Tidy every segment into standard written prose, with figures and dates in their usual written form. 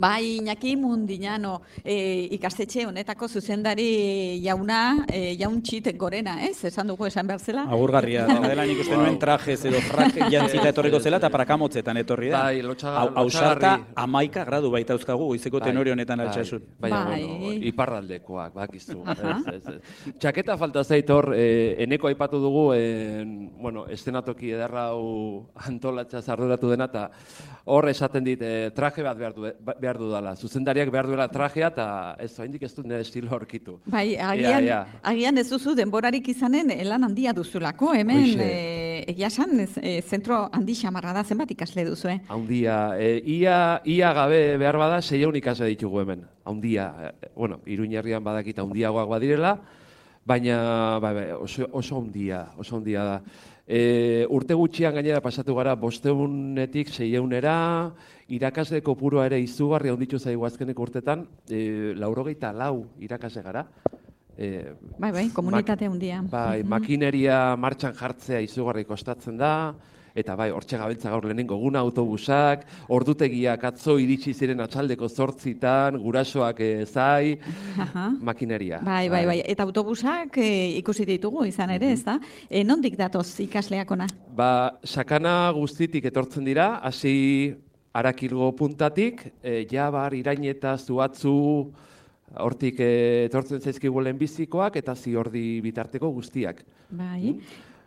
Bai, Iñaki Mundiñano, ikastetxe honetako zuzendari jauna, jauntxit gorena, ez? Esan dugu esan behar zela. Agurgarria, dela nik uste nuen trajez edo frak jantzita etorriko zela, eta prakamotzetan etorri da. Bai, Ausarta 11 gradu baita euskagu, goizeko tenore honetan altxasut. Bai, bueno, iparraldekoak, bakizu. Txaketa falta zait hor, eneko aipatu dugu, bueno, estenatoki ederra hau antolatza arduratu dena, eta hor esaten dit, traje bat behar dudala. Zuzendariak behar duela trajea, eta ez, oraindik ez dut nire estilo aurkitu. Bai, agian ez duzu denborarik izanen lan handia duzulako, hemen, egia esan, zentro handi xamarra da, zenbat ikasle duzu, Handia, ia gabe behar bada, 600 ikasle ditugu hemen. Handia, bueno, Iruñerrian badakit handiagoak badirela, baina oso handia da. Urte gutxian gainera pasatu gara 500etik 600era, irakasle kopurua ere izugarri handitu zaigu azkeneko urtetan, 94 irakasle gara. Bai, komunitate handia. Bai, makineria martxan jartzea izugarri kostatzen da, eta bai, hortxe gabiltza gaur lehenengo guna autobusak, ordutegiak atzo iritsi ziren atxaldeko 8 gurasoak zai, makineria. Bai, eta autobusak ikusi ditugu izan ere, ez da? Nondik datoz ikasleak ona? Sakana guztitik etortzen dira, hasi Arakilgo puntatik, Jabar, Iraineta, Zuatzu, hortik etortzen zaizkigu lehenbizikoak, eta Ziordi bitarteko guztiak. Bai.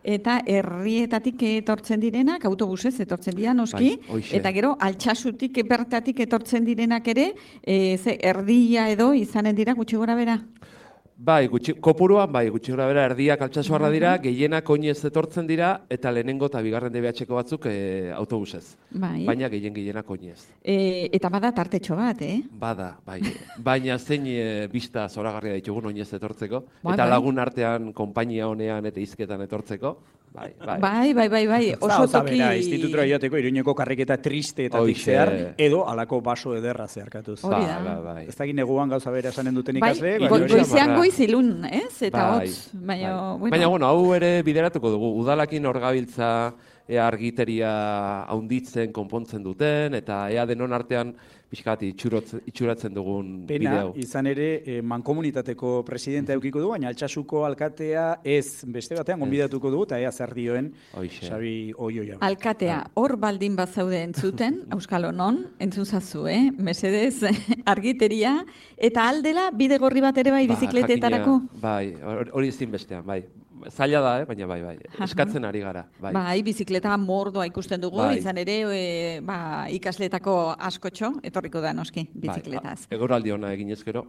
Eta herrietatik etortzen direnak, autobusez etortzen dira noski, eta gero Altsasutik bertatik etortzen direnak ere, erdia edo izanen dira gutxi gora bera? Bai, kopuruan, gutxi gora bera, erdiak Altsasuarra dira, gehienak oinez etortzen dira, eta lehenengo eta bigarren DBH-ko batzuk autobusez. Baina gehienak oinez. Eta bada tartetxo bat, Bada, bai. Baina zein bista zoragarria ditugun oinez etortzeko, eta lagun artean konpainia honean eta hizketan etortzeko. Bai. Oso toki... Institutura joateko Iruñeko karriketa triste eta zehar, edo alako baso ederra zeharkatuz. Bai. Ez dakit neguan gauza bera esanen duten ikasle. Goizean goizilun, ez? Eta hotz. Baina, bueno, hau ere bideratuko dugu. Udalakin hor gabiltza argiteria haunditzen, konpontzen duten, eta ea denon artean pixkat itxuratzen dugun bideo. Pena, izan ere, mankomunitateko presidenta eukiko du, baina Altsasuko alkatea ez beste batean gonbidatuko dugu, eta ea zer dioen Xabi Oioia. Alkatea, hor baldin bazaude entzuten, Euskal Honon, entzun zazu, mesedez, argiteria, eta aldela bide gorri bat ere bai bizikletetarako? Bai, hori ezin bestean, bai. Zaila da, baina bai. Eskatzen ari gara. Bai, bizikleta mordoa ikusten dugu, izan ere ikasletako askotxo, etorriko da noski, bizikletaz. Eguraldi ona egin ezkero.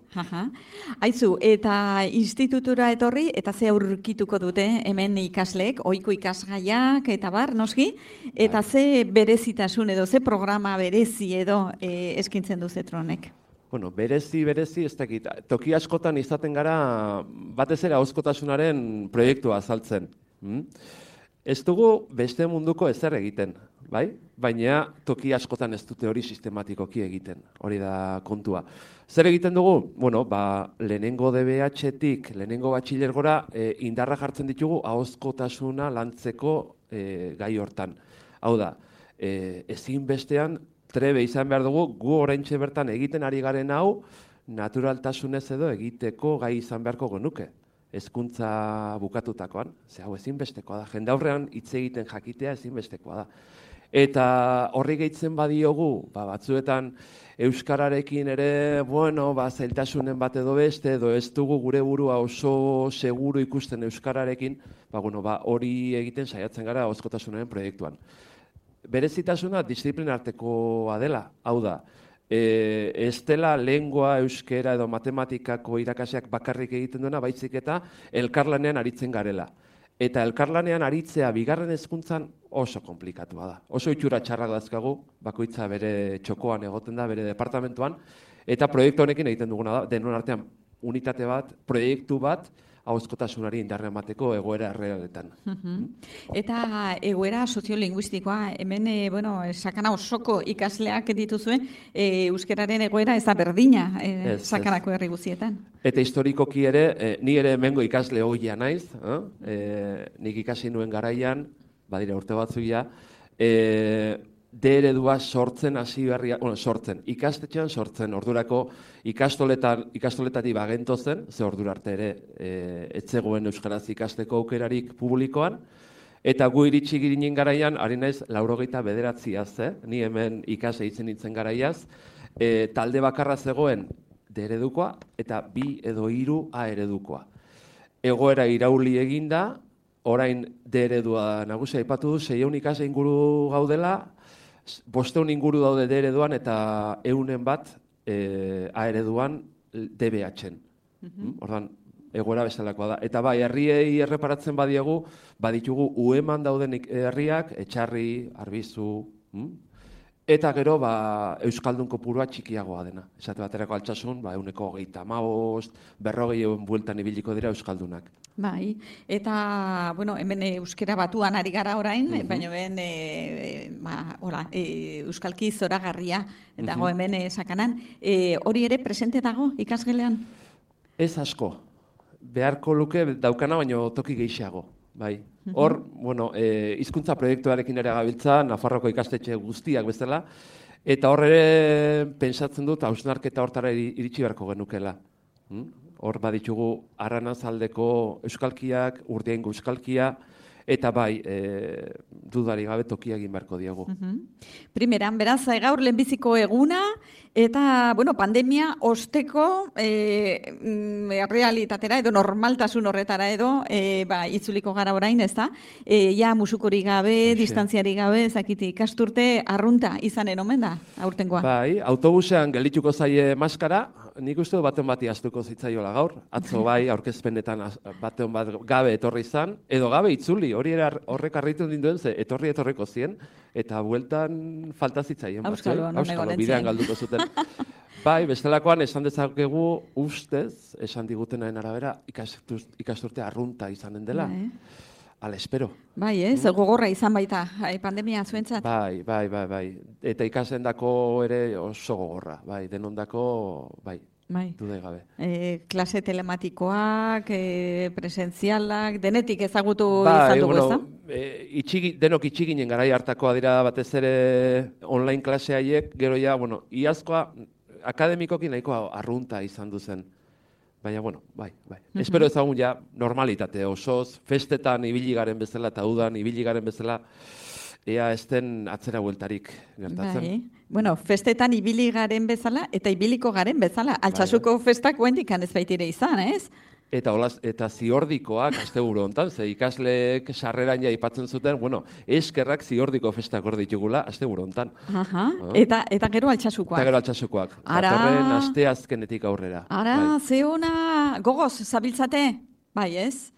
Aizu, eta institutura etorri, eta ze aurkituko dute hemen ikasleek, ohiko ikasgaiak, eta bar, noski, eta ze berezitasun edo, ze programa berezi edo eskintzen du Zetronek. Bueno, berezi, ez dakit. Toki askotan izaten gara batez ere ahozkotasunaren proiektua azaltzen. Ez dugu beste munduko ezer egiten, bai? Baina toki askotan ez dute hori sistematikoki egiten. Hori da kontua. Zer egiten dugu? Bueno, lehenengo DBH-tik, lehenengo batxilergora indarra jartzen ditugu ahozkotasuna lantzeko gai hortan. Hau da, ezinbestean trebe izan behar dugu, gu oraintxe bertan egiten ari garen hau, naturaltasunez edo egiteko gai izan beharko genuke. Hezkuntza bukatutakoan, ze hau ezinbestekoa da. Jendaurrean hitz egiten jakitea ezinbestekoa da. Eta horri gehitzen badiogu, batzuetan euskararekin ere, zailtasunen bat edo beste, edo ez dugu gure burua oso seguru ikusten euskararekin, hori egiten saiatzen gara ahozkotasunaren proiektuan. Berezitasuna disiplinartekoa dela, hau da, ez dela lengua, euskera edo matematikako irakaseak bakarrik egiten duena, baizik eta elkarlanean aritzen garela. Eta elkarlanean aritzea bigarren hezkuntzan oso komplikatua da. Oso itxura txarrak dazkagu, bakoitza bere txokoan egoten da, bere departamentuan, eta proiektu honekin egiten duguna da, denon artean unitate bat, proiektu bat, ahozkotasunari indarra emateko egoera errealetan. Eta egoera soziolinguistikoa, hemen, sakana osoko ikasleak dituzuen, euskararen egoera ez da berdina sakanako herri guztietan. Eta historikoki ere, ni ere hemengo ikasle hoia naiz, nik ikasi nuen garaian, badira urte batzuia, D-eredua sortzen hasi berria, ikastetxean sortzen, ordurako ikastoletatik bagento zen, ze ordura arte ere etzegoen euskaraz ikasteko aukerarik publikoan, eta gu iritsi girinen garaian, ari naiz 89, ni hemen ikase itzen nintzen garaiaz, talde bakarra zegoen D-eredukoa eta 2 edo 3 A-eredukoa. Egoera irauli eginda, orain D-eredua nagusia aipatu du, 600 ikase inguru gaudela, 500 inguru daude D-ereduan eta 100 bat A-ereduan DBH-en. Ordan, egoera bezalakoa da. Eta bai, herriei erreparatzen baditugu ueman dauden herriak, Etxarri, Arbizu, eta gero euskaldun kopurua txikiagoa dena. Esate baterako Altsasun, 135, 40 bueltan ibiliko dira euskaldunak. Bai, eta, hemen euskera batuan ari gara orain, baina hemen euskalki zoragarria dago hemen sakanan. Hori ere presente dago ikasgelean? Ez asko. Beharko luke daukana, baino toki gehiago. Bai. Hor, hizkuntza proiektuarekin ere gabiltza, Nafarroko ikastetxe guztiak bezala, eta hor ere pentsatzen dut hausnarketa hortara iritsi beharko genukela. Hor baditugu Arranazaldeko euskalkiak, Urdiaingo euskalkia, eta bai, dudari gabe tokia egin beharko diogu. Primeran, beraz, gaur lehenbiziko eguna, eta, pandemia osteko realitatera edo normaltasun horretara edo itzuliko gara orain, ez da? Ja, musukorik gabe, distantziarik gabe, zakiti, ikasturte arrunta izanen omen da, aurtengoa? Bai, autobusean geldituko zaie maskara, nik uste baten bati astuko zitzaiola gaur, atzo bai, aurkezpenetan baten bat gabe etorri izan, edo gabe itzuli, hori horrek arritu dinduen ze, etorriko zien, eta bueltan falta zitzaien. Auskalo, bidean galduko zuten. Bai, bestelakoan esan dezakegu ustez, esan digutenaren arabera, ikasturte arrunta izanen dela. Ala, espero. Bai, gogorra izan baita, pandemia zuentzat. Bai. Eta ikasendako ere oso gogorra, bai, denondako, bai. Dudai gabe. Klase telematikoak, presentzialak, denetik ezagutu izan dugu, ez da? Denok itxiginen garai hartakoa dira batez ere online klase haiek, gero ja, iazkoa akademikoki nahikoa arrunta izan duzen. Baina, bai. Espero ezagun ja normalitate osoz, festetan ibili garen bezala eta udan ibili garen bezala, ea ez den atzera bueltarik gertatzen. Bai, festetan ibili garen bezala eta ibiliko garen bezala. Altsasuko festak guendikan ez baitire izan, ez? Eta ziordikoak asteburu hontan, ze ikasleek sarreran ja aipatzen zuten, eskerrak ziordiko festak hor ditugula asteburu hontan. Eta gero altsasukoak. Eta gero altsasukoak. Datorren asteazkenetik aurrera. Ara, ze ona, gogoz, zabiltzate? Bai, ez?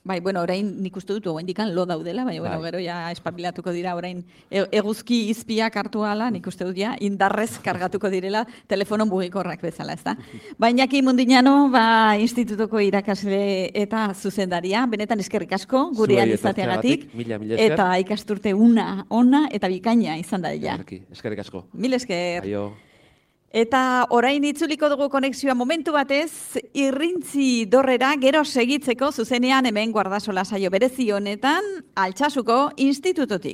Bai, orain nik uste dut, indikan lo daudela, baina, gero ja espabilatuko dira, orain eguzki izpiak hartu ala, nik uste dut ja, indarrez kargatuko direla telefonon bugikorrak bezala, ez da. Baina ki Mundinano, institutuko irakasle eta zuzendaria, benetan eskerrik asko, gurean izateagatik, eta ikasturte ona eta bikaina izan da dela. Eskerrik asko. Mil esker. Aio. Eta orain itzuliko dugu konexioa momentu batez, Irrintzi Dorrera gero segitzeko zuzenean hemen Guardasola saio berezi honetan Altsasuko institututik.